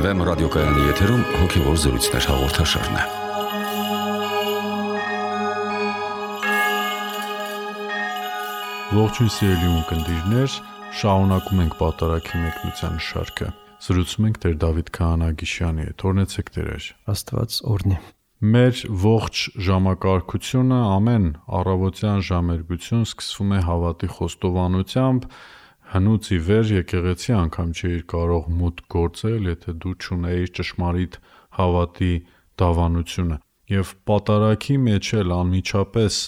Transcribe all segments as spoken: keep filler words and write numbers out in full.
Վեմ ռադիոկայանի եթերում հոգևոր զրույցներ հաղորդաշարն է։ Ողջույն սիրելի ունկնդիրներ, շարունակում ենք Պատարագի մեկնության շարքը։ Զրուցում ենք Տեր Դավիթ Քահանագիշյանի հետ։ Օրհնեցեք Տեր։ Աստված օրհնի։ Մեր ողջ ժամակարգությունը, ամեն առավոտյան ժամերգություն սկսվում է հավատի խոստովանությամբ, հնուց ի վեր եկեղեցի անգամ չէիր կարող մուտք գործել, եթե դու չունեիր ճշմարիտ հավատի դավանությունը։ Եվ Պատարագի մեջ էլ անմիջապես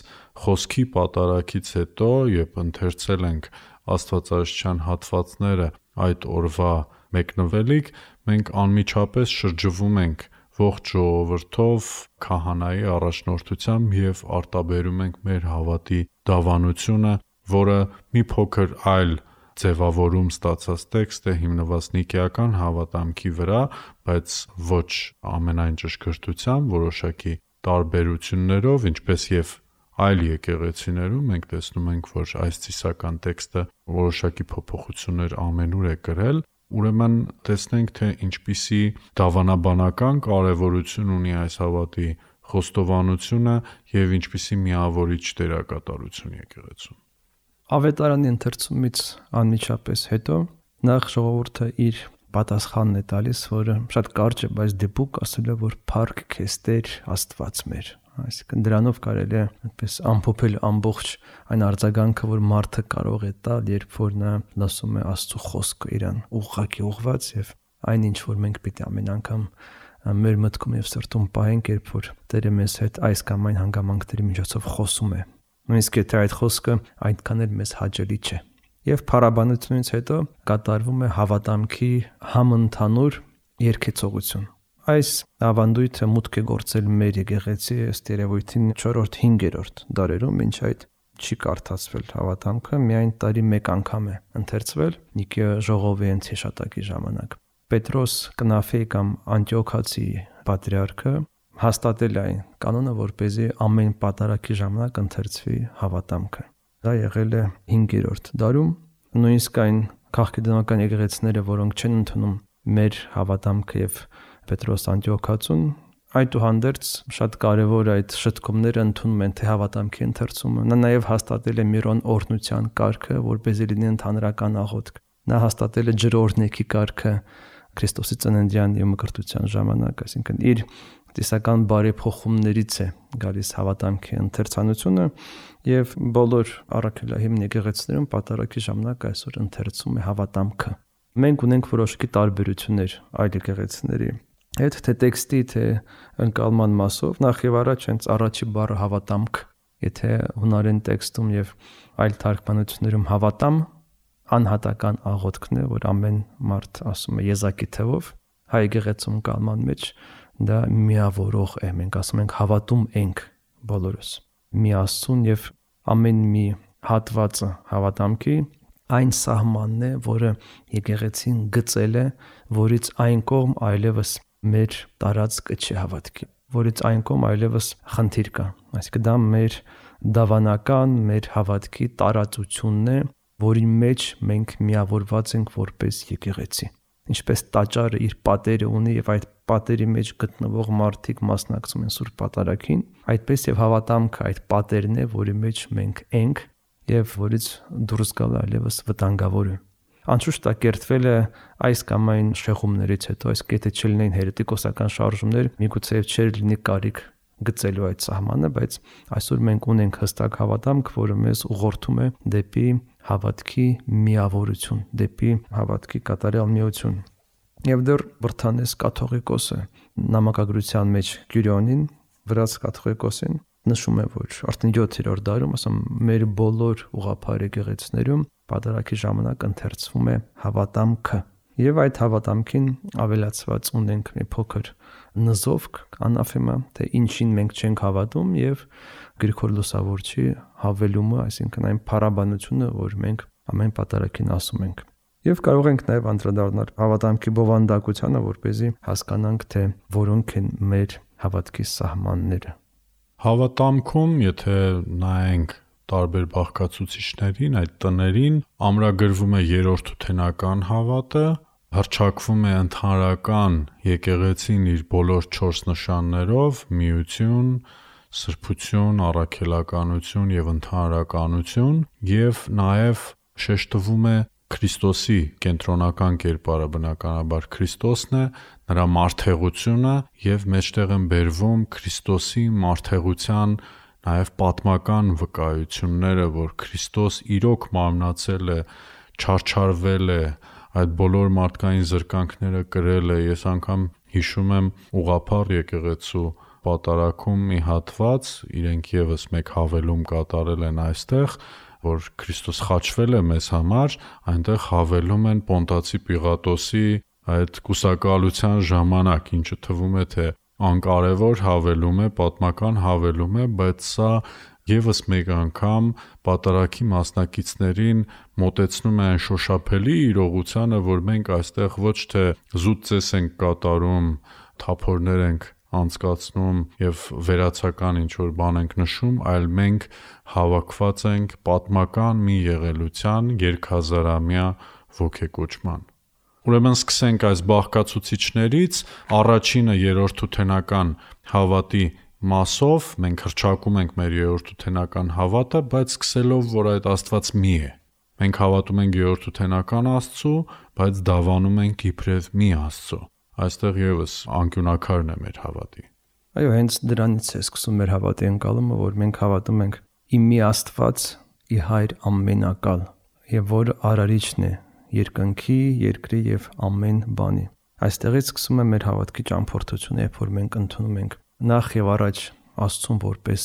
խոսքի պատարագից հետո, երբ ընթերցել ենք աստվածաշնչյան հատվածները այդ օրվա մեկնվելիք, մենք անմիջապես շրջվում ենք ողջ ժողովրդով քահանայի առաջնորդությամբ եւ արտաբերում ենք մեր հավատի դավանությունը, որը մի փոքր այլ ձևավորում ստացած տեքստ է, հիմնված նիկեական հավատամքի վրա, բայց ոչ ամենայն ճշգրտությամբ, որոշակի տարբերություններով, ինչպես եւ այլ եկեղեցիներում մենք տեսնում ենք, որ այս ծիսական տեքստը որոշակի փոփոխություններ ամենուր է կրել։ Ուրեմն տեսնենք, թե ինչպիսի դավանաբանական կարևորություն ունի այս հավատի խոստովանությունը եւ ինչպիսի միավորիչ դերակատարություն եկեղեցում։ Ավետարանի ընթերցումից անմիջապես հետո նախ ժողովուրդը իր պատասխանն է տալիս, որը շատ կարճ է, բայց դեպուկ ասել է, որ փառք քեզ Տեր Աստված մեր։ Այսինքն դրանով կարելի է այդպես ամփոփել ամբողջ այն արձագանքը, որ մարդը կարող է տալ, երբ որ նա լսում է Աստծո խոսքը իրան ուղղակի ուղված, եւ այն ինչ որ մենք պիտի ամեն անգամ մեր մտքում եւ սրտում պահենք, երբ որ Տերը մեզ հետ այս կամ այն հանգամանքների միջոցով խոսում է։ Նույնիսկ եթե այդ խոսքը այնքան էլ մեզ հաճելի չէ։ Եվ փառաբանությունից հետո կատարվում է հավատամքի համընդհանուր երգեցողություն։ Այս ավանդույթը մուտք է գործել մեր եկեղեցի ըստ երևույթին չորրորդ-հինգերորդ դարերում, մինչ այդ չի կարդացվել հավատամքը, միայն տարի մեկ անգամ է ընթերցվել Նիկեա ժողովի հիշատակի ժամանակ։ Պետրոս Կնաֆեի կամ Անտիոքացի պատրիարքը հաստատել է այն կանոնը, որպեսզի ամեն պատարագի ժամանակ ընթերցվի հավատամքը։ Դա եղել է հինգերորդ դարում, նույնիսկ այն քաղաքական եկեղեցիները, որոնք չեն ընդունում մեր հավատամքը եւ Պետրոս Անտիոքացուն, այդուհանդերձ շատ կարևոր այդ շտկումները ընդունում են թե հավատամքի ընթերցումը։ Նա նաեւ հաստատել է Միրոն օրհնության կարգը, որպեսզի լինի ընդհանրական աղոթք։ Նա հաստատել է ջրօրհնեքի կարգը Քրիստոսի ծննդյան եւ մկրտության ժամանակ, այսինքն իր տեսական բարեփոխումներից է գալիս հավատամքի ընթերցանությունը եւ բոլոր առաքելահիմն եկեղեցիներում պատարագի ժամանակ այսօր ընթերցում է հավատամքը։ Մենք ունենք որոշակի տարբերություններ այլ եկեղեցիների հետ, թե տեքստի, թե ընկալման մասով, նախ եւ առաջ հենց առաջի բառը հավատամք, եթե հունարեն տեքստում եւ այլ թարգմանություններում հավատամ անհատական աղոթքն է, որ ամեն մարդ ասում է եզակի թվով, հայ եկեղեցում կալման մեջ դա միավորող է, մենք ասում ենք հավատում ենք բոլորս մի Աստծուն եւ ամեն մի հատվածը հավատամքի այն սահմանն է, որը եկեղեցին գծել է, որից այն կողմ այլևս մեր տարածքը չի հավատքի, որից այն կողմ այլևս խնդիր կա։ Այսինքն դա մեր դավանական, մեր հավատքի տարածությունն է, որի մեջ մենք միավորված ենք որպես եկեղեցի։ Ինչպես տաճարը իր պատերը ունի եւ այդ պատերի մեջ գտնվող մարդիկ մասնակցում են Սուրբ Պատարագին, այդպես եւ հավատամքը այդ պատերն է, որի մեջ մենք ենք եւ որից դուրս գալը այլևս վտանգավոր է։ Անշուշտ դա կերտվել է այս կամ այն շեղումներից հետո, այս կետը չլինեն հերետիկոսական շարժումներ, միգուցե չէր լինի կարիք գծելու այդ սահմանը, բայց այսօր մենք ունենք հստակ հավատամք, որը մեզ ուղղորդում է դեպի հավատքի միավորություն, դեպի հավատքի կատարյալ միություն։ Եվ դեռ Բրթանես կաթողիկոսը նամակագրության մեջ Կյուրիոնին, վրաց կաթողիկոսին նշում է, որ արդեն յոթերորդ դարում, ասում մեր բոլոր ուղղափառ եկեղեցիներում պատարագի ժամանակ ընթերցվում է հավատամքը։ Եվ այդ հավատամքին ավելացված ունենք մի փոքր նզովք, անաֆեմա, թե ինչին մենք չենք հավատում եւ Գրիգոր Լուսավորչի հավելումը, այսինքն այն փառաբանությունը, որ մենք ամեն պատարագին ասում ենք։ Եվ կարող ենք նաեւ անդրադառնալ հավատամքի բովանդակությանը, որպեսզի հասկանանք, թե որոնք են մեր հավատքի սահմանները։ Հավատամքում, եթե նայենք տարբեր բաղկացուցիչներին, այդ տներին ամրագրվում է երրորդութենական հավատը, հռչակվում է ընդհանրական եկեղեցին իր բոլոր չորս նշաններով՝ միություն, սրբություն, առաքելականություն եւ ընդհանրականություն, եւ նաեւ շեշտվում է Քրիստոսի կենտրոնական կերպարը, բնականաբար Քրիստոսն է, նրա մարդեղությունը եւ մեջտեղ են բերվում Քրիստոսի մարդեղության նաեւ պատմական վկայությունները, որ Քրիստոս իրոք մարմնացել է, չարչարվել է, այդ բոլոր մարդկային զրկանքները կրել է։ Ես անգամ հիշում եմ ուղղափառ եկեղեցու պատարագում մի հատված, իրենք եւս մեկ հավելում կատարել են այստեղ, որ Քրիստոս խաչվել է մեզ համար, այնտեղ հավելում են Պոնտացի Պիղատոսի այդ կուսակալության ժամանակ, ինչը թվում է թե անկարևոր հավելում է, պատմական հավելում է, բայց սա եւս մեկ անգամ պատարագի մասնակիցներին մոտեցնում է այն շոշափելի իրողությանը, որ մենք այստեղ ոչ թե զուտ ծես ենք կատարում, թափորներ ենք անցկացնում եւ վերացական ինչ-որ բան ենք նշում, այլ մենք հավաքված ենք պատմական մի եղելության երկհազարամյա ոգեկոչման։ Ուրեմն սկսենք այս բաղկացուցիչներից, առաջինը երրորդութենական հավատի մասով, մենք հռչակում ենք մեր երրորդութենական հավատը, բայց սկսելով, որ այդ Աստված մի է։ Մենք հավատում ենք երրորդութենական Աստծու, բայց դավանում ենք իբրև մի Աստծու։ Այստեղ եւս անկյունակարն է մեր հավատի։ Այո, հենց դրանից է սկսում մեր հավատի ընկալումը, որ մենք հավատում ենք իմ մի Աստված, ի Հայր ամենակալ, եւ որ արարիչն է երկնքի, երկրի եւ ամեն բանի։ Այստեղից սկսում է մեր հավատքի ճամփորդությունը, երբ որ մենք ընդունում ենք նախ եւ առաջ Աստծուն որպես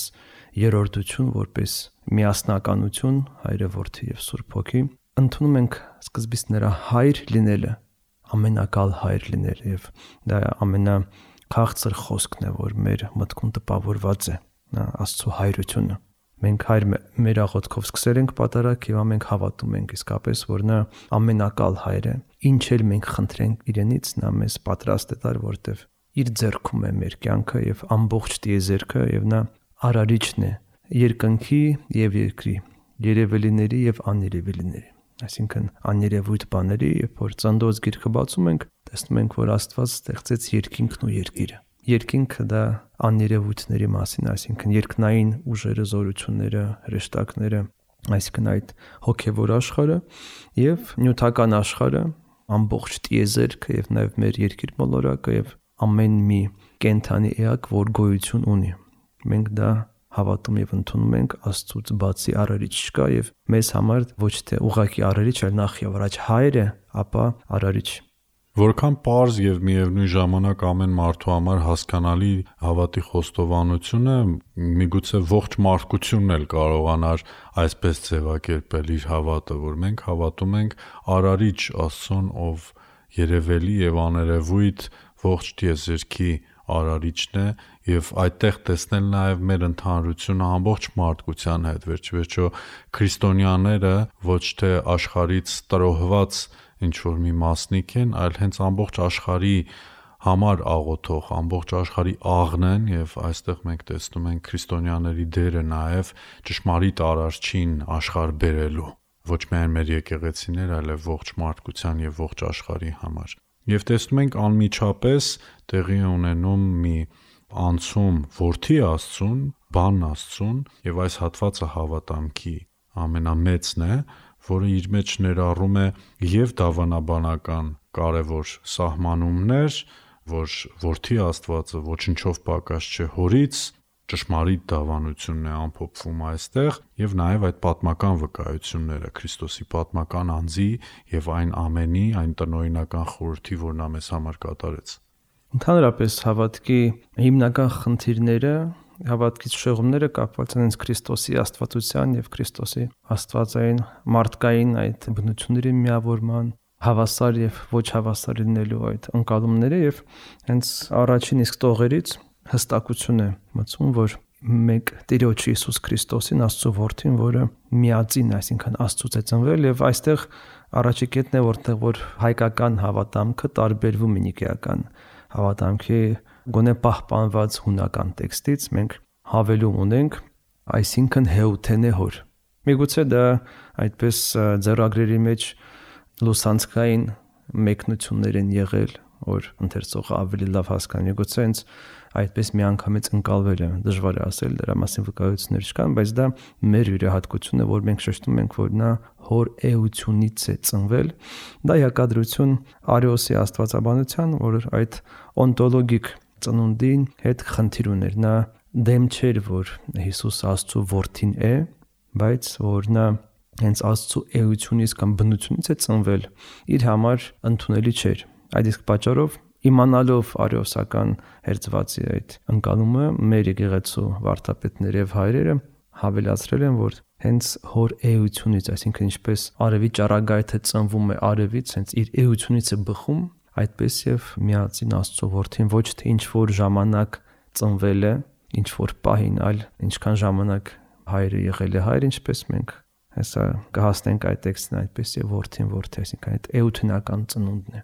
երրորդություն, որպես միասնականություն, Հայրը, Որդի եւ Սուրբ Հոգի, ընդունում ենք սկզբից նրա Հայր լինելը, ամենակալ Հայր լինել, եւ դա ամենաքաղցր խոսքն է, որ մեր մտքում տպավորված է, նա Աստծո հայրությունը։ Մենք Հայր մեր աղոթքով սկսել ենք պատարակ եւ ամենք հավատում ենք իսկապես, որ նա ամենակալ Հայր է։ Ինչ էլ մենք խնդրենք իրենից, նա մեզ պատրաստ է տալ, որտեվ իր ձեռքում է մեր կյանքը եւ ամբողջ տիեզերքը, եւ նա արարիչն է երկնքի եւ երկրի, երևելիների եւ աներևելիների, այսինքն աներևույթ բաների, երբ որ Ծննդոց գիրքը բացում ենք, տեսնում ենք, որ Աստված ստեղծեց երկինքն ու երկիրը։ Երկինքը դա աներևույթների մասին, այսինքն երկնային ուժերը, զորությունները, հրեշտակները, այսինքն այդ հոգեվոր աշխարհը եւ նյութական աշխարհը, ամբողջ տիեզերքը եւ նաեւ մեր երկիր մոլորակը եւ ամեն մի կենթանի էակ, որ գոյություն ունի։ Մենք դա հավատում եւ ընդունում ենք, Աստծուց բացի արարիչ չկա եւ մեզ համար ոչ թե ուղղակի արարիչ, այլ նախ եւ առաջ Հայր է, ապա արարիչ։ Որքան պարզ եւ միևնույն ժամանակ ամեն մարդու համար հասկանալի հավատի խոստովանությունը, միգուցե ողջ մարդկությունն էլ կարողանար այսպես ձևակերպել իր հավատը, որ մենք հավատում ենք արարիչ Աստծուն, ով երևելի եւ աներևույթ ողջ տիեզերքի արարիչն է, եւ այդտեղ տեսնել նաեւ մեր ընդհանրությունը ամբողջ մարդկության հետ, վերջիվերջո քրիստոնյաները ոչ թե աշխարհից տրոհված ինչ որ մի մասնիկ են, այլ հենց ամբողջ աշխարհի համար աղոթող, ամբողջ աշխարհի աղն են, եւ այստեղ մենք տեսնում ենք քրիստոնյաների դերը նաեւ ճշմարիտ արարչին աշխարհ բերելու, ոչ միայն մեր եկեղեցիներ, այլև ողջ մարդկության եւ ողջ աշխարհի համար։ Եվ տեսնում ենք անմիջապես տեղի ունենում մի անցում Որդի Աստծուն, Բան Աստծուն, եւ այս հատվածը հավատամքի ամենամեծն է, որը իր մեջ ներառում է եւ դավանաբանական կարևոր սահմանումներ, որ Որդի Աստվածը ոչնչով պակաս չէ Հորից, ճշմարիտ դավանությունն է ամփոփվում այստեղ, եւ նաեւ այդ պատմական վկայությունները Քրիստոսի պատմական անձի եւ այն ամենի, այն տնօրինական խորհրդի, որ նա մեզ համար կատարեց։ Ընդհանրապես հավատքի հիմնական խնդիրները, հավատքից շեղումները կապված են Քրիստոսի աստվածության եւ Քրիստոսի աստվածային մարդկային այդ բնությունների միավորման, հավասար եւ ոչ հավասար լինելու այդ ընկալումները, եւ հենց առաջին իսկ տողերից հստակություն է մտցում, որ մեկ Տիրոջ Հիսուս Քրիստոսին, Աստծո Որդին, որը միածին, այսինքն Աստծուց է ծնվել, եւ այստեղ առաջի կետն է, որտեղ որ հայկական հավատամքը տարբերվում է նիկեական հավատամքի գոնե պահպանված հունական տեքստից, մենք հավելում ունենք, այսինքն հեութենե հոր։ Միգուցե դա այդպես ձեռագրերի մեջ լուսանցքային մեկնություններ են եղել, որ ընթերցողը ավելի լավ հասկանա։ Գուցե հենց այդպես միանգամից ընկալվել է, դժվար է ասել, դրա մասին վկայություններ չկան, բայց դա մեր յուրահատկությունն է, որ մենք շեշտում ենք, որ նա հոր էությունից է ծնվել։ Դա հակադրություն Արիոսի աստվածաբանության, որ այդ օնտոլոգիկ ծնունդին հետ խնդիր ուներ։ Նա դեմ չէր, որ Հիսուս Աստծո որդին է, բայց որ նա հենց Աստծո էությունից կամ բնությունից է ծնվել, իր համար ընդունելի չէր։ Այդ իսկ պատճառով իմանալով արիոսական հերձվածի այդ ընկալումը, մեր եկեղեցու վարդապետները եւ հայրերը հավելացրել են, որ հենց հոր էությունից, այսինքն ինչպես արևի ճառագայթը ծնվում է արևից, հենց իր էությունից է բխում, այդպես եւ միածին Աստծո որդին ոչ թե ինչ որ ժամանակ ծնվել է, ինչ որ պահին, այլ ինչքան ժամանակ հայրը եղել է հայր, ինչպես մենք հեսա կհասնենք այդ տեքստին, այդպես եւ որդին որդի, այսինքն այդ էութնական ծնունդն է։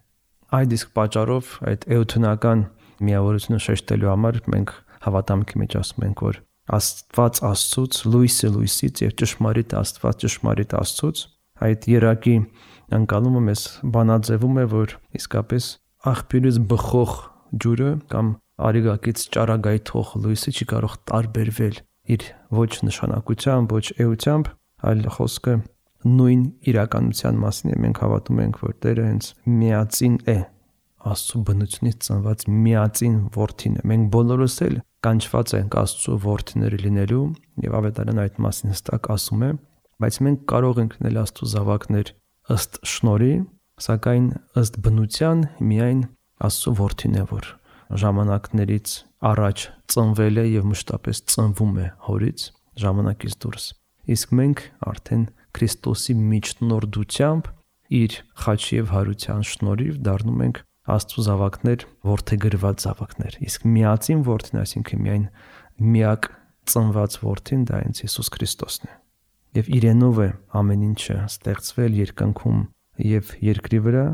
Այդ իսկ պատճառով այդ էութնական միավորությունը շեշտելու համար մենք հավատամքի մեջ ասում ենք, որ Աստված Աստծուց, լույսը լույսից եւ ճշմարիտ Աստված ճշմարիտ Աստծուց, այդ երակի ընկալումը մեզ բանաձևում է, որ իսկապես աղբյուրից բխող ջուրը կամ արիգակից ճառագայթող լույսը չի կարող տարբերվել իր ոչ նշանակությամբ, ոչ էությամբ, այլ խոսքը նույն իրականության մասին է։ Մենք հավատում ենք, որ Տերը հենց միածին է, Աստծո բնությունից ծնված միածին որդին է։ Մենք բոլորս էլ կանչված ենք Աստծո որդիները լինելու, եւ Ավետարանը այդ մասին հստակ ասում է, բայց մենք կարող ենք լինել Աստծո զավակներ ըստ շնորհի, սակայն ըստ բնության միայն Աստծո որդին է, որ ժամանակներից առաջ ծնվել է եւ մշտապես ծնվում է հորից ժամանակից դուրս։ Իսկ մենք արդեն Քրիստոսի միջնորդությամբ իր խաչի եւ հարության շնորհիվ դառնում ենք Աստծո զավակներ, որդեգրված զավակներ։ Իսկ միածին որդին, այսինքն միայն միակ ծնված որդին, դա հենց Հիսուս Քրիստոսն է։ Եվ իրենով է ամեն ինչը ստեղծվել երկնքում եւ երկրի վրա,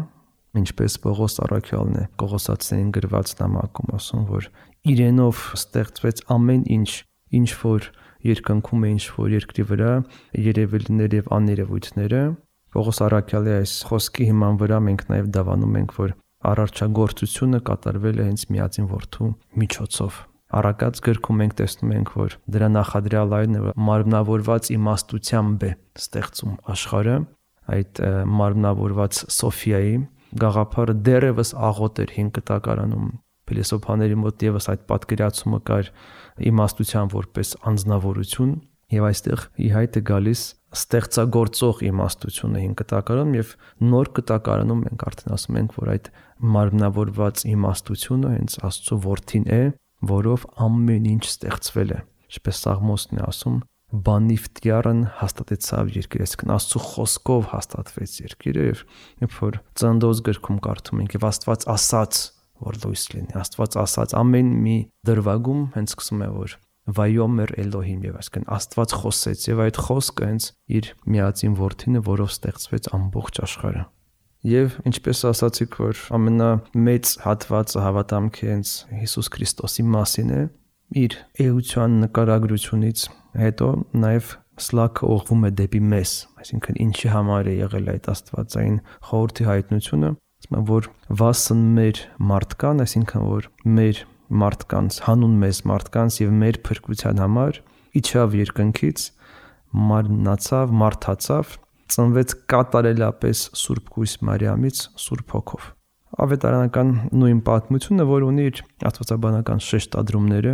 ինչպես Պողոս առաքյալն է Կողոսացիներին գրված նամակում ասում, որ իրենով ստեղծվեց ամեն ինչ, ինչ որ երկնքում է, ինչ որ երկրի վրա, երևելիներ եւ աներևույթները։ Պողոս առաքյալի այս խոսքի հիման վրա մենք նաեւ դավանում ենք, որ արարչագործությունը կատարվել է հենց միածին որդու միջոցով։ Առակած գրքում մենք տեսնում ենք, որ դրա նախադրյալային մարմնավորված իմաստությամբ է ստեղծում աշխարհը, այդ մարմնավորված Սոֆիայի գաղափարը դեռևս աղոտ էր հին կտակարանում։ Փիլիսոփաների մոտ եւս այդ պատկերացումը կար իմաստության որպես անձնավորություն, եւ այստեղ ի հայտ է գալիս ստեղծագործող իմաստությունը հին կտակարանում, եւ նոր կտակարանում մենք արդեն ասում ենք, որ այդ մարմնավորված իմաստությունը հենց Աստծո որդին է, որով ամեն ինչ ստեղծվել է։ Ինչպես Սաղմոսն է ասում, բանիվտիարն հաստատեցավ երկիրը, այսինքն Աստծո խոսքով հաստատվեց երկիրը, եւ երբ որ Ծննդոց գրքում կարդում ենք, եւ Աստված ասաց, որ լույս լինի, Աստված ասաց, ամեն մի դրվագում հենց սկսում է, որ Վայոմեր Էլոհիմ, եւ այսինքն Աստված խոսեց, եւ այդ խոսքը հենց իր միածին որդին է, որով ստեղծվեց ամբողջ աշխարհը։ Եվ ինչպես ասացիք, որ ամենամեծ հատվածը հավատամքի հենց Հիսուս Քրիստոսի մասին է, իր էության նկարագրությունից հետո նաև սլաքը ուղղվում է դեպի մեզ, այսինքն ինչի համար է եղել այդ աստվածային խորհրդի հայտնությունը, ասում եմ, որ վասն մեր մարդկան, այսինքն որ մեր մարդկանց, հանուն մեզ մարդկանց եւ մեր փրկության համար իջավ երկնքից, մարմնացավ, մարդացավ, ծնվեց կատարելապես Սուրբ Կույս Մարիամից Սուրբ Հոգով։ Ավետարանական նույն պատմությունը, որ ունի իր աստվածաբանական շեշտադրումները,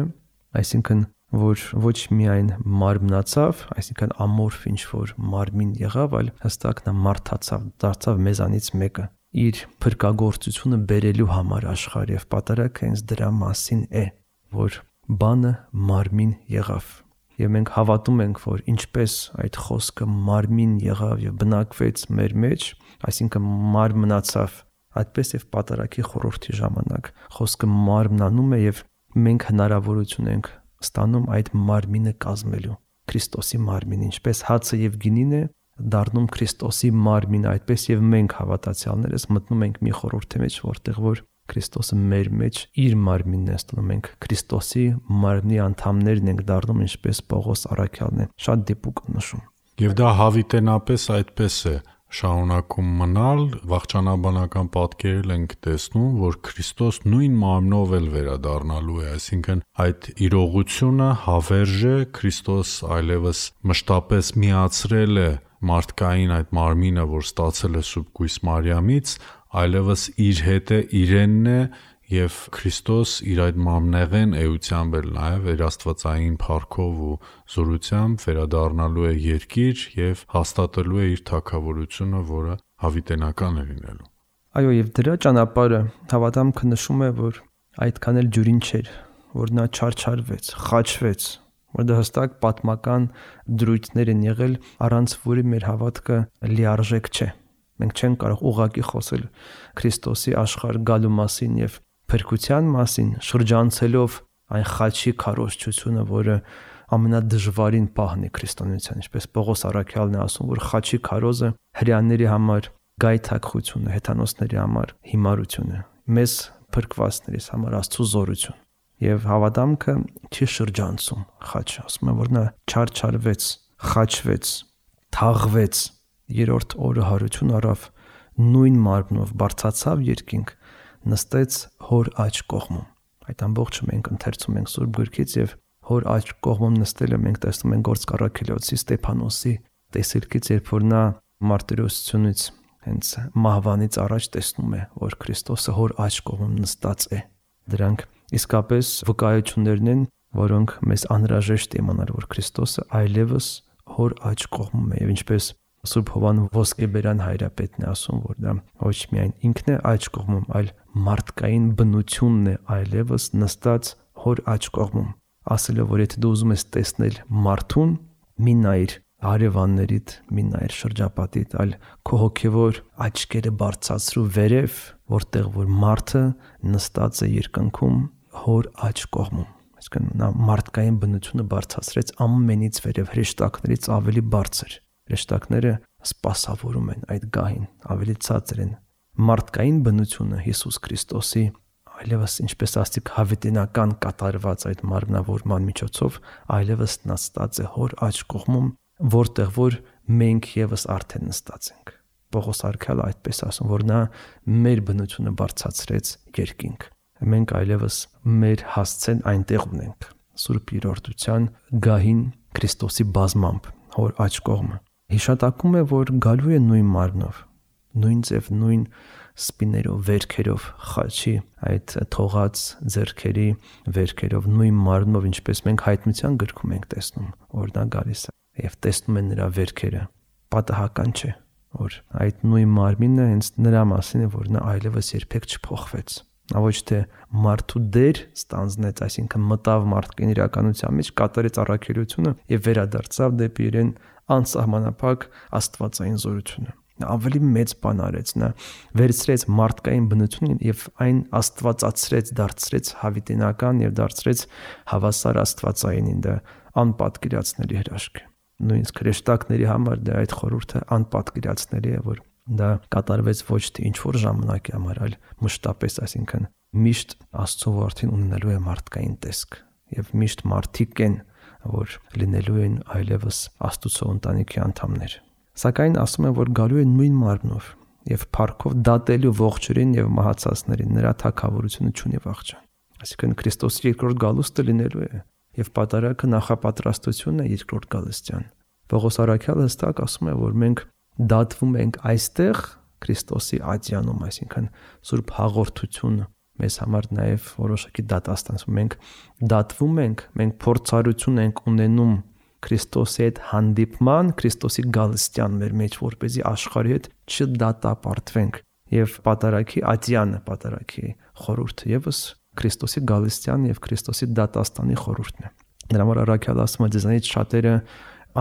այսինքն որ ոչ միայն մարմնացավ, այսինքն ամորֆ ինչ որ մարմին եղավ, այլ հստակ նա մարդացավ, դարձավ մեզանից մեկը, իր փրկagorցությունը բերելու համար աշխարհ, եւ պատարագը հենց դրա մասին է, որ բանը մարմին եղավ։ Եվ մենք հավատում ենք, որ ինչպես այդ խոսքը մարմին եղավ եւ բնակվեց մեր մեջ, այսինքն մարմնացավ, այդպես եւ պատարագի խորհրդի ժամանակ խոսքը մարմնանում է եւ մենք հնարավորություն ենք ստանում այդ մարմինը կազմելու, Քրիստոսի մարմին, ինչպես հացը եւ գինին է դառնում Քրիստոսի մարմին, այդպես եւ մենք հավատացյալներս մտնում ենք մի խորհրդի մեջ, որտեղ որ Քրիստոսը մեր մեջ իր մարմինն է ստանում, մենք Քրիստոսի մարմնի անդամներն ենք դառնում, ինչպես Պողոս առաքյալն է շատ դիպուկ նշում։ Եվ դա հավիտենապես այդպես է, շարունակում մնալ, վաղճանաբանական պատկերել ենք տեսնում, որ Քրիստոս նույն մարմնով էլ վերադառնալու է, այսինքն այդ իրողությունը հավերժ է, Քրիստոս այլևս մշտապես միացրել է մարդկային այդ մարմինը, որ ստացել է Սուրբ Կույս Մարիամից, այլևս իր հետ է, իրենն է, եւ Քրիստոս իր այդ մամնեղեն էությամբ էլ նաեւ իր աստվածային փառքով ու զորությամբ վերադառնալու է երկիր եւ հաստատելու է իր թագավորությունը, որը հավիտենական է լինելու։ Այո, եւ դրա ճանապարհը հավատամքը նշում է, որ այդքան էլ ջուրին չէր, որ նա չարչարվեց, խաչվեց, որ դա հստակ պատմական դրույթներ են եղել, առանց որի մեր հավատքը լիարժեք չէ։ Մենք չենք կարող ուղղակի խոսել Քրիստոսի աշխարհ գալու մասին եւ փրկության մասին, շրջանցելով այն խաչի քարոզչությունը, որը ամենադժվարին պահն է քրիստոնեության, ինչպես Պողոս առաքյալն է ասում, որ խաչի քարոզը հրեաների համար գայթակղություն է, հեթանոսների համար հիմարություն է, մեզ փրկվածներից համար Աստծո զորություն։ Եվ հավատամքը չի շրջանցում խաչը, ասում է, որ նա չարչարվեց, խաչվեց, թաղվեց, երրորդ օրը հարություն առավ, նույն մարմնով բարձացավ երկինք, նստեց հոր աջ կողմում։ Այդ ամբողջը մենք ընթերցում ենք Սուրբ Գրքից եւ հոր աջ կողմում նստելը մենք տեսնում ենք Գործք առաքելոցի Ստեփանոսի տեսիլքից, երբ որ նա մարտիրոսությունից հենց մահվանից առաջ տեսնում է, որ Քրիստոսը հոր աջ կողմում նստած է։ Դրանք իսկապես վկայություններն են, որոնք մեզ անհրաժեշտ է իմանալ, որ Քրիստոսը այլևս հոր աջ կողմում է, եւ ինչպես Սուրբ Հովան Ոսկեբերան հայրապետն է ասում, որ դա ոչ միայն ինքն է աջ կողմում, այլ մարդկային բնությունն է այլևս նստած հոր աջ կողմում, ասելով, որ եթե դու ուզում ես տեսնել մարդուն, մի նայր հարևաններիդ, մի նայր շրջապատիդ, այլ քո հոգևոր աչքերը բարձրացրու վերև, որտեղ որ մարդը նստած է երկնքում հոր աջ կողմում։ Այսինքն նա մարդկային բնությունը բարձրացրեց ամենից վերև, հրեշտակներից ավելի բարձր։ Հրեշտակները սպասավորում են այդ գահին, ավելի ցածր են։ Մարդկային բնությունը Հիսուս Քրիստոսի այլևս ինչպես ասիկ հավիտենական կատարված այդ մարմնավորման միջոցով այլևս նստած է հոր աջ կողմում, որտեղ որ մենք եւս արդեն նստած ենք։ Պողոս առաքյալը այդպես ասում, որ նա մեր բնությունը բարձրացրեց երկինք։ Մենք այլևս մեր հասցեն այնտեղ ունենք Սուրբ Երրորդության գահին Քրիստոսի բազմամբ հոր աջ կողմը։ Հիշատակում է, որ գալու է նույն մարմնով, նույն ձև, նույն սպիներով, վերքերով, խաչի այդ թողած ձեռքերի վերքերով, նույն մարմնով, ինչպես մենք հայտնության գրքում ենք տեսնում, որ նա գալիս է եւ տեսնում են նրա վերքերը։ Պատահական չէ, որ այդ նույն մարմինը հենց նրա մասին է, որ նա այլևս երբեք չփոխվեց։ Նա ոչ թե մարդու դեր ստանձնեց, այսինքն մտավ մարդկային իրականության մեջ, կատարեց առաքելությունը եւ վերադարձավ դեպի իրեն անսահմանափակ աստվածային զորությունը։ Նա ավելի մեծ բան արեց, նա վերցրեց մարդկային բնությունն եւ այն աստվածացրեց, դարձրեց հավիտենական եւ դարձրեց հավասար աստվածայինին, դա անպատկերացնելի հրաշք է։ Նույնիսկ հրեշտակների համար դա այդ խորհուրդը անպատկերացնելի է, որ դա կատարվեց ոչ թե ինչ-որ ժամանակի համար, այլ մշտապես, այսինքն միշտ Աստծո որդին ունենալու է մարդկային տեսք եւ միշտ մարդիկ են, որ լինելու են այլևս Աստծո ընտանիքի անդամներ։ Սակայն ասում են, որ գալու է նույն մարմնով եւ փառքով դատելու ողջերին եւ մահացածներին, նրա թագավորությունը չունի վախճան։ Այսինքն Քրիստոսի երկրորդ գալուստը լինելու է եւ պատարագը նախապատրաստությունն է երկրորդ գալստյան։ Պողոս առաքյալը հստակ ասում է, որ մենք դատվում ենք այստեղ Քրիստոսի ատյանում, այսինքն Սուրբ հաղորդությունը մեզ համար նաև որոշակի դատաստանություն։ Մենք դատվում ենք, մենք փորձառություն ենք ունենում Քրիստոսի հետ հանդիպման, Քրիստոսի գալստյան մեր մեջ, որպեսզի աշխարհի հետ չդատապարտվենք։ Եվ պատարագի ատյանը, պատարագի խորհուրդը եւս Քրիստոսի գալստյան եւ Քրիստոսի դատաստանի խորհուրդն է։ Դրա համար առաքյալը ասում է, ձեզանից շատերը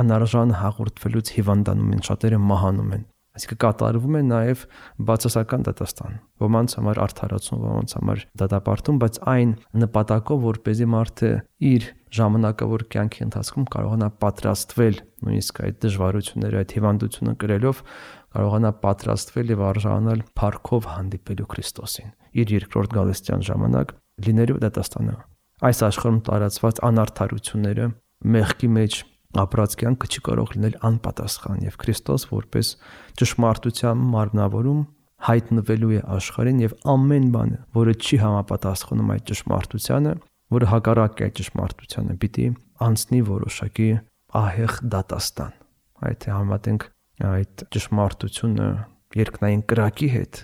անարժան հաղորդվելուց հիվանդանում են, շատերը մահանում են։ Այսինքն կատարվում է նաև բացասական դատաստան։ Ոմանց համար արդարացում, ոմանց համար դատապարտում, բայց այն նպատակով, որպեսզի մարդը իր ժամանակավոր կյանքի ընթացքում կարողանա պատրաստվել, նույնիսկ այդ դժվարությունները, այդ հիվանդությունը կրելով, կարողանա պատրաստվել եւ արժանանալ փառքով հանդիպելու Քրիստոսին իր երկրորդ գալստյան ժամանակ լինելու դատաստանը։ Այս աշխարհում տարածված անարդարությունները, մեղքի մեջ ապրած կյանքը չի կարող լինել անպատասխան, եւ Քրիստոս որպես ճշմարտության մարմնավորում հայտնվելու է աշխարհին եւ ամեն բանը, որը չի համապատասխանում այդ ճշմարտությանը, որը հակառակ է այդ ճշմարտությանը, պիտի անցնի որոշակի ահեղ դատաստան։ Այդ համատենք այդ ճշմարտությունը երկնային կրակի հետ,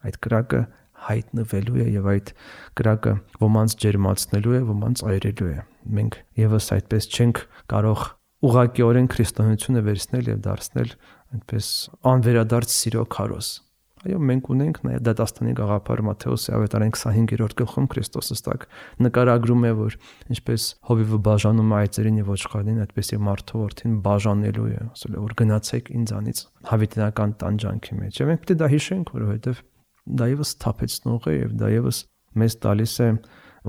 այդ կրակը հայտնվելու է եւ այդ կրակը ոմանց ջերմացնելու է, ոմանց այրելու է։ Մենք եւս այդպես չենք կարող ուղղակիորեն քրիստոնեությունը վերցնել եւ դարձնել այդպես անվերադարձ սիրո քարոզ։ Այո, մենք ունենք նաեւ դատաստանի գաղափար Մատթեոսի ավետարան քսանհինգերորդ գլխում Քրիստոսը ստակ նկարագրում է, որ ինչպես հովիվը բաժանում է այծերին եւ ոչխարներին, այդպես եւ մարդու որդին բաժանելու է, ասել է, որ գնացեք ինձանից հավիտենական տանջանքի մեջ։ Եվ մենք պետք է դա հիշենք, որովհետեւ դա եւս թափեցնող է եւ դա եւս մեզ տալիս է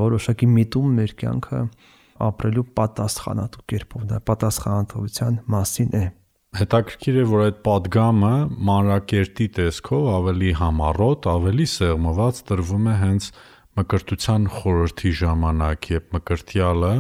որոշակի միտում մեր կյանքը ապրելու պատասխանատու կերպով, դա պատասխանատվության մասին է։ Հետաքրքիր է, որ այդ պատգամը մանրակերտի տեսքով ավելի համառոտ, ավելի սեղմված տրվում է հենց մկրտության խորհրդի ժամանակ, երբ մկրտյալը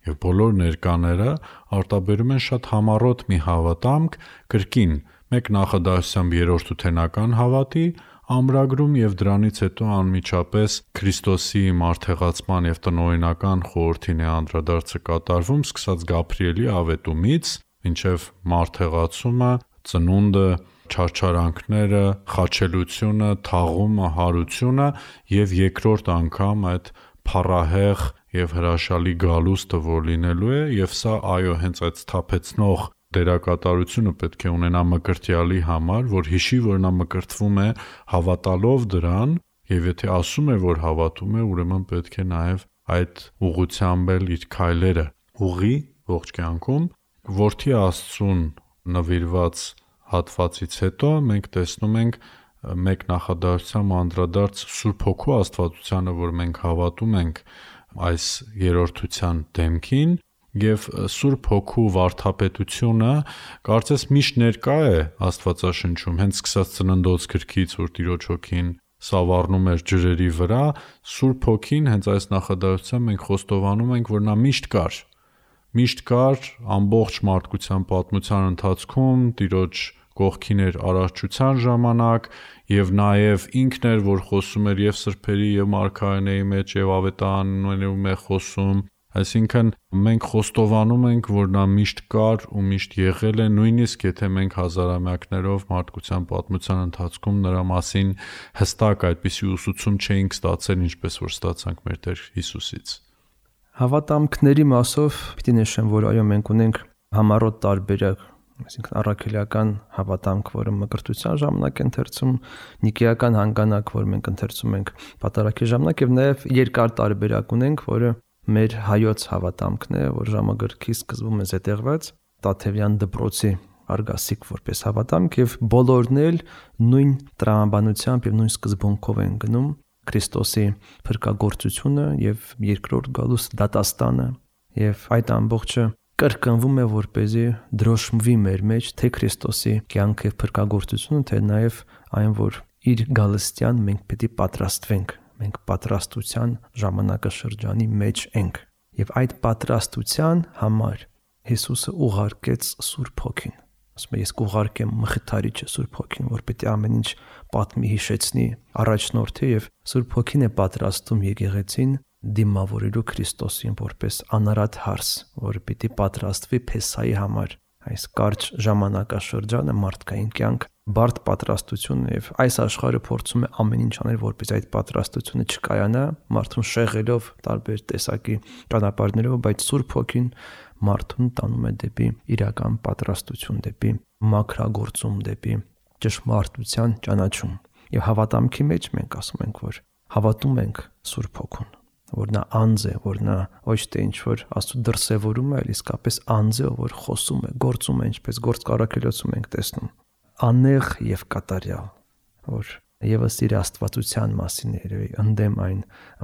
եւ բոլոր ներկաները արտաբերում են շատ համառոտ մի հավատամք կրկին մեկ նախադասությամբ երրորդ ութենական հավատի ամրագրում եւ դրանից հետո անմիջապես Քրիստոսի մարդեղացման եւ տնօրինական խորհրդին է անդրադարձը կատարվում, սկսած Գաբրիելի ավետումից մինչև մարդեղացումը, ծնունդը, չարչարանքները, խաչելությունը, թաղումը, հարությունը եւ երկրորդ անգամ այդ փառահեղ եւ հրաշալի գալուստը որ լինելու է եւ սա այո հենց այդ սթափեցնող դերակատարությունը պետք է ունենա մկրտյալի համար, որ հիշի, որ նա մկրտվում է հավատալով դրան եւ եթե ասում է, որ հավատում է, ուրեմն պետք է նաեւ այդ ուղղությամբ էլ իր քայլերը ուղի ողջ կյանքում։ Որդի Աստծուն նվիրված հատվածից հետո մենք տեսնում ենք մեկ նախադասությամբ անդրադարձ Սուրբ Հոգու Աստվածությանը, որ մենք հավատում ենք այս երրորդության դեմքին եւ Սուրբ Հոգու վարդապետությունը կարծես միշտ ներկա է Աստվածաշնչում, հենց սկսած Ծննդոց գրքից, որ Տիրոջ Հոգին սավառնում էր ջրերի վրա, Սուրբ Հոգին հենց այս նախադասությամբ մենք խոստովանում ենք, որ նա միշտ կար։ Միշտ կար ամբողջ մարդկության պատմության ընթացքում, Տիրոջ կողքին էր արարչության ժամանակ եւ նաեւ ինքն էր, որ խոսում էր եւ սրբերի եւ մարգարեների մեջ եւ ավետարաններում է խոսում, այսինքն մենք խոստովանում ենք, որ նա միշտ կար ու միշտ եղել է, նույնիսկ եթե մենք հազարամյակներով մարդկության պատմության ընթացքում նրա մասին հստակ այդպիսի ուսուցում չէինք ստացել, ինչպես որ ստացանք մեր Տեր Հիսուսից։ Հավատամքների մասով պիտի նշեմ, որ այո մենք ունենք համառոտ տարբերակ, այսինքն առաքելական հավատամք, որը մկրտության ժամանակ է ընթերցում, նիկեական հանգանակ, որ մենք ընթերցում ենք պատարագի ժամանակ եւ նաեւ երկար տարբերակ ունենք, որը մեր հայոց հավատամքն է, որ ժամագրքի սկզբում է զետեղված Տաթևյան դպրոցի արգասիկ որպես հավատամք եւ բոլորն էլ նույն տրամաբանությամբ եւ նույն սկզբունքով են գնում Քրիստոսի փրկagorցությունը եւ երկրորդ գալուս դատաստանը եւ այդ ամբողջը կրկնվում է որպեսզի դրոշմվի մեր մեջ թե Քրիստոսի կյանքը եւ փրկagorցությունը, թե նաեւ այն, որ իր գալստյան մենք պետք է պատրաստվենք, մենք պատրաստության ժամանակաշրջանի մեջ ենք եւ այդ պատրաստության համար Հիսուսը ուղարկեց Սուրբ Հոգին։ Ասում է ես կուղարկեմ Մխիթարիչը Սուրբ Հոգին, որ պետք է ամեն ինչ պատմի, հիշեցնի, առաջնորդի եւ Սուրբ Հոգին է պատրաստում եկեղեցին դիմավորելու Քրիստոսին որպես անարատ հարս, որը պիտի պատրաստվի Փեսայի համար։ Այս կարճ ժամանակաշրջանը մարդկային կյանք, բարդ պատրաստություն եւ այս աշխարհը փորձում է ամեն ինչ անել, որպես այդ պատրաստությունը չկայանա, մարդուն շեղելով տարբեր տեսակի ճանապարհներով, բայց Սուրբ Հոգին մարդուն տանում է դեպի իրական պատրաստություն, դեպի մաքրագործում, դեպի ճշմարտության ճանաչում։ Եվ հավատամքի մեջ մենք ասում ենք, որ հավատում ենք Սուրբ Հոգուն, որ նա անձ է, որ նա ոչ թե ինչ-որ Աստծո դրսևորում է, այլ իսկապես անձ է, որ խոսում է, գործում է, ինչպես գործ կարաքելոցում ենք տեսնում, անեղ եւ կատարյալ, որ եւս իր աստվածության մասին է երևի ընդդեմ այն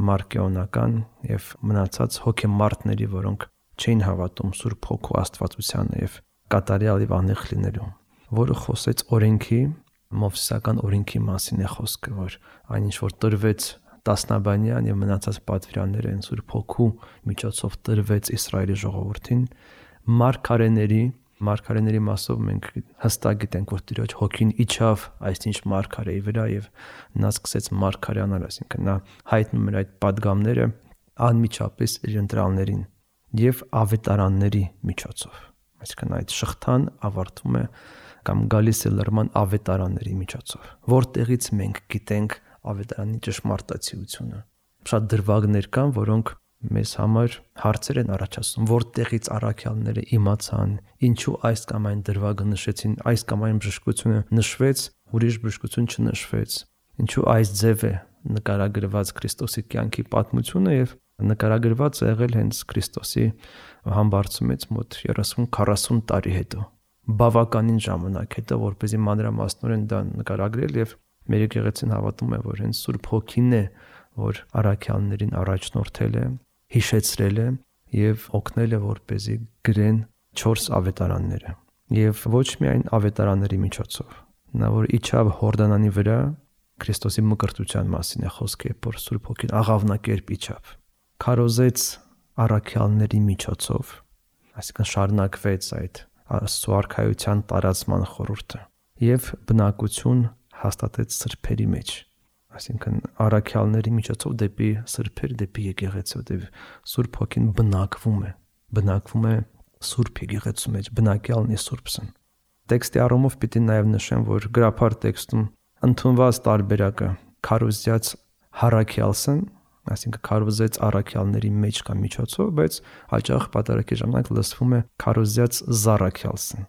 մարկեոնական եւ մնացած հոգեմարտների, որոնք չէին հավատում Սուրբ Հոգու աստվածությանը եւ կատարյալ եւ անեղ լինելու, որը խոսեց օրենքի, մովսեսական օրենքի մասին է խոսքը, որ այնինչ որ տրվեց տասնաբանյան եւ մնացած պատվիրանները են Սուրբ Հոգու միջոցով տրվեց Իսրայելի ժողովրդին, մարգարեների Մարգարեների մասով մենք հստակ գիտենք, որ Տիրոջ հոգին իջավ այսինչ մարգարեի վրա եւ նա սկսեց մարգարեանալ, այսինքն նա հայտնում էր այդ падգամները անմիջապես իր ընտրալներին եւ ավետարանների միջոցով։ Այսինքն այդ շղթան ավարտվում է կամ գալիս է լրման ավետարանների միջոցով, որտեղից մենք գիտենք ավետարանի ճշմարտացիությունը։ Շատ դրվագներ կան, որոնք մեզ համար հարցեր են առաջացնում, որտեղից առաքյալները իմացան, ինչու այս կամ այն դրվագը նշեցին, այս կամ այն բժշկությունը նշվեց, ուրիշ բժշկություն չնշվեց, ինչու այս ձև է նկարագրված Քրիստոսի կյանքի պատմությունը եւ նկարագրված է եղել հենց Քրիստոսի համբարձումից մոտ երեսուն քառասուն տարի հետո, բավականին ժամանակ հետո, որպեսզի մանրամասնորեն դա նկարագրել եւ մեր եկեղեցին հավատում է, որ հենց Սուրբ Հոգին է, որ առաքյալներին առաջնորդել է, հիշեցրել է եւ օգնել է, որպեսզի գրեն չորս ավետարանները եւ ոչ միայն ավետարանների միջոցով։ Նա որ իջավ Հորդանանի վրա, Քրիստոսի մկրտության մասին է խոսքը, որ Սուրբ Հոգին աղավնակերպ իջավ, քարոզեց առաքյալների միջոցով, այսինքն շարունակվեց այդ Աստծո արքայության տարածման խորհուրդը եւ բնակություն հաստատեց սրբերի մեջ, այսինքն առաքյալների միջոցով դեպի սրբեր, դեպի եկեղեցու, դեպի Սուրբ Հոգին բնակվում է, բնակվում է Սուրբ եկեղեցու մեջ, բնակյալն է Սուրբսն։ Տեքստի առումով պիտի նաև նշեմ, որ գրափար տեքստում ընդունված տարբերակը քարոզյաց առաքյալսն, այսինքն քարոզեց առաքյալների մեջ կամ միջոցով, բայց հաճախ պատարակի ժամանակ լսվում է քարոզյաց զառաքյալսն։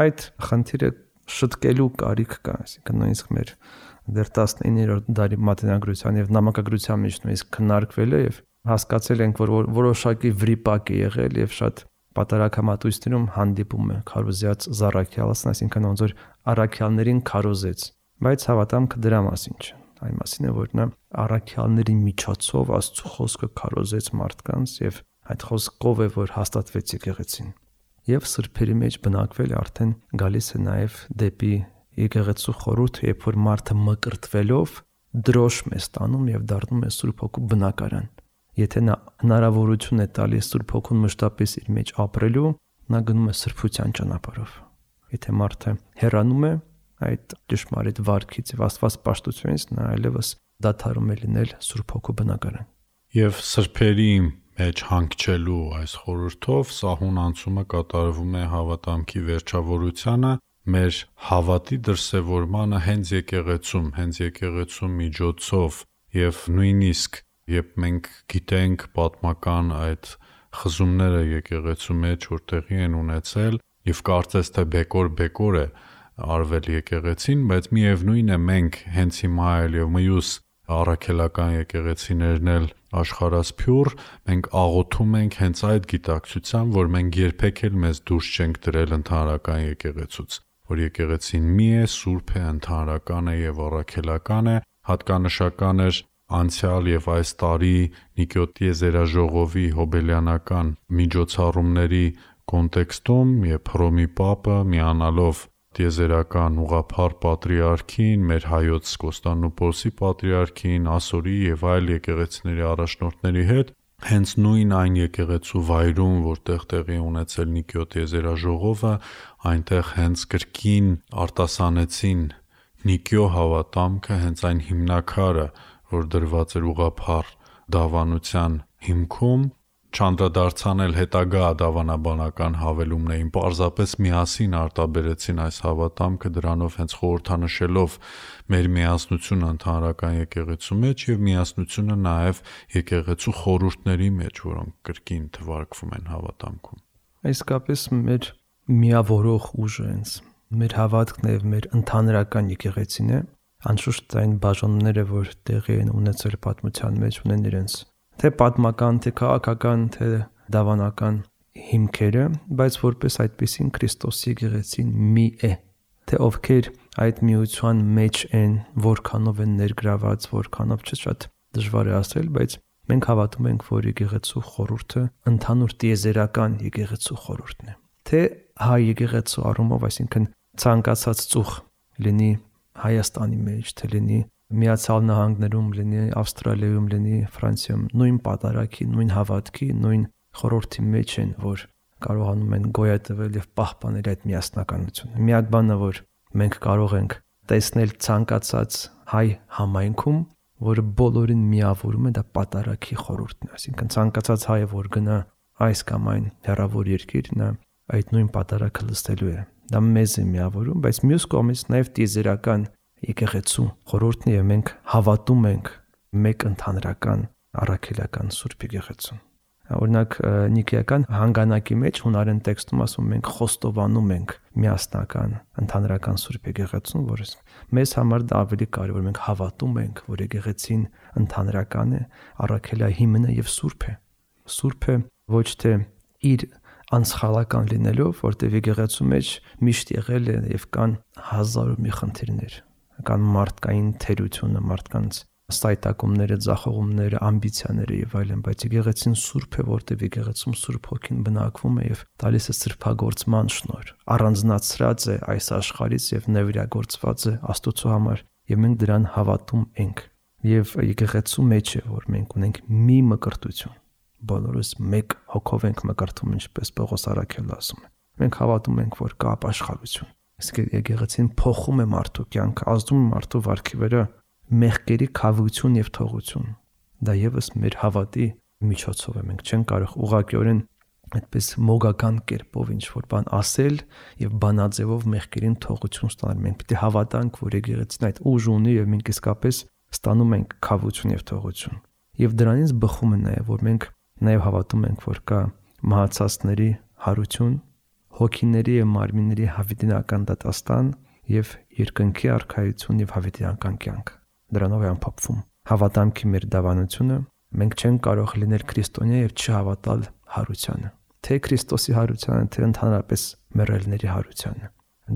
Այդ խնդիրը շտկելու կարիք կա, այսինքն նույնիսկ մեր դեռ տասնիններորդ դարի մատենագրության եւ նամակագրության մեջ նույնիսկ քննարկվել է եւ հասկացել ենք, որ որոշակի վրիպակ է եղել եւ շատ պատարակամատույցներում հանդիպում է քարոզյաց զառաքյալսն, այսինքն ոնց որ առաքյալներին քարոզեց, բայց հավատամքը դրա մասին չէ, այն մասին է, որ նա առաքյալների միջոցով Աստծո խոսքը քարոզեց մարդկանց եւ այդ խոսքով է, որ հաստատվեց եկեղեցին եւ սրբերի մեջ բնակվել է արդեն գալիս է նաեւ դեպի եկեղեցու խորհուրդ, երբ որ մարդը մկրտվելով դրոշմ է ստանում եւ դառնում է Սուրբ Հոգու բնակարան։ Եթե նա հնարավորություն է տալիս Սուրբ Հոգուն մշտապես իր մեջ ապրելու, նա գնում է սրբության ճանապարհով։ Եթե մարդը հեռանում է այդ ճշմարիտ վարքից եւ Աստված պաշտությունից, նա այլևս դադարում է լինել Սուրբ Հոգու բնակարան։ Եվ սրբերի մեջ հանգչելու այս խորհրդով սահուն անցումը կատարվում է հավատամքի վերջավորությանը, մեր հավատի դրսևորմանը հենց եկեղեցում, հենց եկեղեցու միջոցով եւ նույնիսկ երբ մենք գիտենք պատմական այդ խզումները եկեղեցու մեջ որ տեղի են ունեցել եւ կարծես թե բեկոր-բեկոր է արվել եկեղեցին, բայց միևնույն է մենք հենց հիմա էլ եւ մյուս առաքելական եկեղեցիներն էլ աշխարհասփյուռ մենք աղոթում ենք հենց այդ գիտակցությամբ, որ մենք երբեք էլ մեզ դուրս չենք դրել ընդհանրական եկեղեցուց, որ եկեղեցին մի է, սուրբ է, ընդհանրական է եւ առաքելական է, հատկանշական էր անցյալ եւ այս տարի Նիկոտ Եզերաժողովի հոբելյանական միջոցառումների կոնտեքստում, երբ Հռոմի Պապը միանալով Տիեզերական ուղղափառ պատրիարքին, մեր հայոց Կոստանդնուպոլսի պատրիարքին, Ասորի եւ այլ եկեղեցիների առաջնորդների հետ, հենց նույն այն եկեղեցու վայրում, որտեղ տեղի ունեցել Նիկոտ Եզերաժողովը, այնտեղ հենց կրկին արտասանեցին Նիկիո հավատամքը, հենց այն հիմնակարը, որ դրված էր ուղղափառ դավանության հիմքում, չանդրադարձան էլ հետագա դավանաբանական հավելումներին, պարզապես միասին արտաբերեցին այս հավատամքը, դրանով հենց խորհրդանշելով մեր միասնությունը ընդհանրական եկեղեցու մեջ եւ միասնությունը նաեւ եկեղեցու խորհուրդների մեջ, որոնք կրկին թվարկվում են հավատամքում։ Իսկապես մեր միավորող ուժը հենց մեր հավատքն եւ մեր ընդհանրական եկեղեցին է, անշուշտ այն բաժանումները, որ տեղի են ունեցել պատմության մեջ, ունեն իրենց թե պատմական, թե քաղաքական, թե դավանական հիմքերը, բայց որպես այդպեսին Քրիստոսի եկեղեցին մի է, թե ովքեր այդ միության մեջ են, որքանով են ներգրաված, որքանով չէ, շատ դժվար է ասել, բայց մենք հավատում ենք, որ եկեղեցու խորհուրդը ընդհանուր տիեզերական եկեղեցու խորհուրդն է, թե հայ եկեղեցու առումով, այսինքն ցանկացած ծուխ լինի Հայաստանի մեջ, թե լինի Միացյալ Նահանգներում, լինի Ավստրալիայում, լինի Ֆրանսիայում, նույն պատարակի, նույն հավատքի, նույն խորհրդի մեջ են, որ կարողանում են գոյատևել եւ պահպանել այդ միասնականությունը։ Միակ բանը, որ մենք կարող ենք տեսնել ցանկացած հայ համայնքում, որը բոլորին միավորում է, դա պատարագի խորհուրդն է։ Այսինքն ցանկացած հայը, որ գնա այս կամ այն հեռավոր երկիր, նա այդ նույն պատարագը լսելու է։ Դա մեզ է միավորում, բայց մյուս կողմից նաև տիեզերական եկեղեցու խորհուրդն է, եւ մենք հավատում ենք մեկ ընդհանրական առաքելական Սուրբ եկեղեցուն։ Օրինակ Նիկեական հանգանակի մեջ հունարեն տեքստում ասում մենք խոստովանում ենք միասնական ընդհանրական Սուրբ եկեղեցուն, որը մեզ համար դա ավելի կարևոր, մենք հավատում ենք, որ եկեղեցին ընդհանրական է, առաքելահիմնը եւ սուրբ է։ Սուրբը ոչ թե իր անսխալական լինելով, որտեղ եկեղեցու մեջ միշտ եղել է եւ կան հազար ու մի խնդիրներ, կան մարդկային թերությունը, մարդկանց ստայտակումները, ձախողումները, ամբիցիաները եւ այլն, բայց եկեղեցին սուրբ է, որտեղ եկեղեցում Սուրբ Հոգին բնակվում է եւ տալիս է սրբագործման շնորհ, առանձնացրած է այս աշխարհից եւ նվիրագործված է Աստծո համար, եւ մենք դրան հավատում ենք։ Եվ եկեղեցու մեջ է, որ մենք ունենք մի մկրտություն, բոլորս մեկ հոգով ենք մկրտում, ինչպես Պողոս Առաքելը ասում է։ Մենք հավատում ենք, որ կա ապաշխարություն։ Իսկ եկեղեցին փոխում է մարդու կյանքը, ազդում է մարդու վարքի վրա մեղքերի քավություն եւ թողություն։ Դա եւս մեր հավատի միջոցով է։ Մենք չենք կարող ուղղակիորեն այդպես մոգական կերպով ինչ որ բան ասել եւ բանաձևով մեղքերին թողություն ստանալ։ Մենք պետք է հավատանք, որ եկեղեցին այդ ուժ ունի եւ մենք իսկապես ստանում ենք քավություն եւ թողություն։ Եվ դրանից բխում է նաեւ, որ մենք նաեւ հավատում ենք, որ կա մահացածների հարություն, հոգիների եւ մարմինների հավիտենական դատաստան եւ երկնքի արքայություն եւ հավիտենական կյանք։ Դրանով է ամփոփվում հավատամքի մեր դավանությունը։ Մենք չենք կարող լինել քրիստոնյա եւ չհավատալ հարությանը, թե Քրիստոսի հարությանը, թե ընդհանրապես մեռելների հարությանը։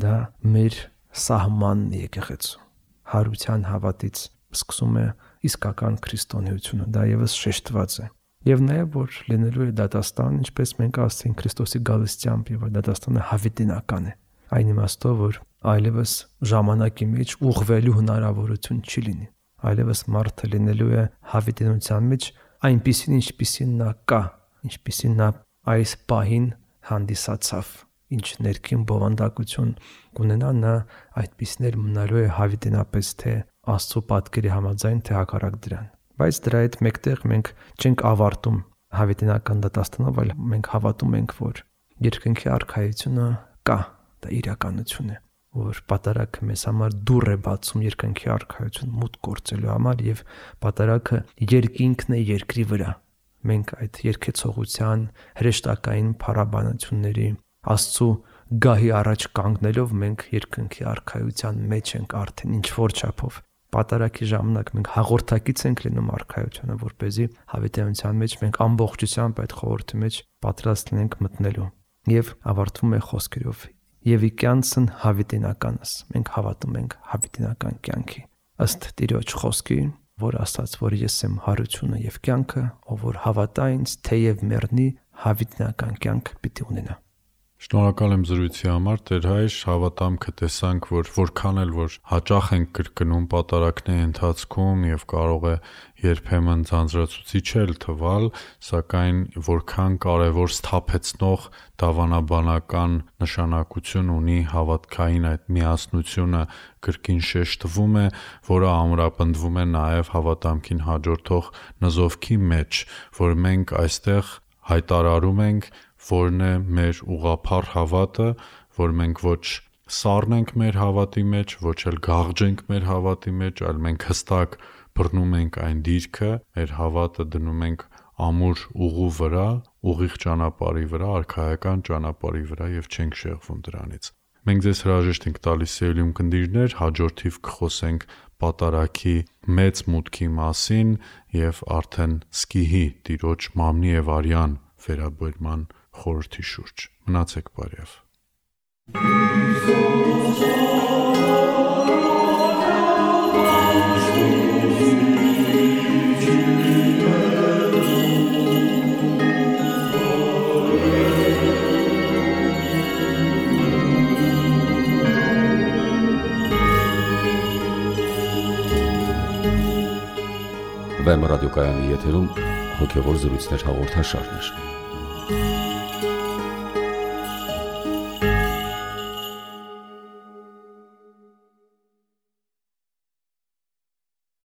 Դա մեր սահմանն է եկեղեցու։ Հարության հավատից սկսում է իսկական քրիստոնեությունը, դա եւս շեշտված է։ Եվ նաեւ որ լինելու է դատաստան, ինչպես մենք ասենք Քրիստոսի գալստությամբ, եւ դատաստանը հավիտենական է։ Այն իմաստով, որ այլևս ժամանակի մեջ ուղղվելու հնարավորություն չի լինի։ Այլևս մարդը լինելու է հավիտենության մեջ այնպիսին, ինչպիսին նա կա, ինչպիսին նա այս պահին հանդիսացավ, ինչ ներքին բովանդակություն կունենա, նա այդպիսին էլ մնալու է հավիտենապես թե Աստծո պատկերի համաձայն, թե հակառակ դրան։ Բայց դրա հետ մեկտեղ մենք չենք ավարտում հավիտենական դատաստանով, այլ մենք հավատում ենք, որ երկնքի արքայությունը կա, դա իրականություն է, որ պատարագը մեզ համար դուռ է բացում երկնքի արքայություն մուտք գործելու համար, եւ պատարագը երկինքն է երկրի վրա։ Մենք այդ երկեցողության հրեշտակային փառաբանությունների Աստծո գահի առաջ կանգնելով մենք երկնքի արքայության մեջ ենք արդեն ինչ որ չափով։ Պատարագի ժամանակ մենք հաղորդակից ենք լինում արքայությանը, որպեսզի հավիտենության մեջ մենք ամբողջությամբ այդ խորհրդի մեջ պատրաստ լինենք մտնելու։ Եվ ավարտվում է խոսքերով. «Եվ իքյանցն հավիտենականս», մենք հավատում ենք հավիտենական կյանքի, ըստ Տիրոջ խոսքի, որ ասաց, որ ես եմ հարությունը եւ կյանքը, ով որ հավատա ինձ, թեև մեռնի, հավիտենական կյանք պիտի ունենա։ Շնորհակալ եմ զրույցի համար, Տեր հայր, հավատամքը տեսանք, որ որքան էլ որ հաճախ ենք կրկնում պատարագների ընթացքում եւ կարող է երբեմն ձանձրացուցիչ էլ թվալ, սակայն որքան կարևոր սթափեցնող դավանաբանական նշանակություն ունի հավատքային այդ միասնությունը կրկին շեշտվում է, որը ամրապնդվում է նաեւ հավատամքին հաջորդող նզովքի մեջ, որ մենք այստեղ հայտարարում ենք, որն է մեր ուղղափառ հավատը, որ մենք ոչ սառնենք մեր հավատի մեջ, ոչ էլ գաղջենք մեր հավատի մեջ, այլ մենք հստակ բռնում ենք այն դիրքը, մեր հավատը դնում ենք ամուր ուղու վրա, ուղիղ ճանապարհի վրա, արքայական ճանապարհի վրա եւ չենք շեղվում դրանից։ Մենք ձեզ հրաժեշտ ենք տալիս սիրելի ունկնդիրներ, հաջորդիվ կխոսենք պատարագի մեծ մուտքի մասին եւ արդեն սկիհի Տիրոջ մամնի եւ արյան վերաբերման խորհրդի շուրջ։ Մնացեք բարև։ Վեմ ռադիոկայանի եթերում հոգևոր զրույցներ հաղորդաշարներ։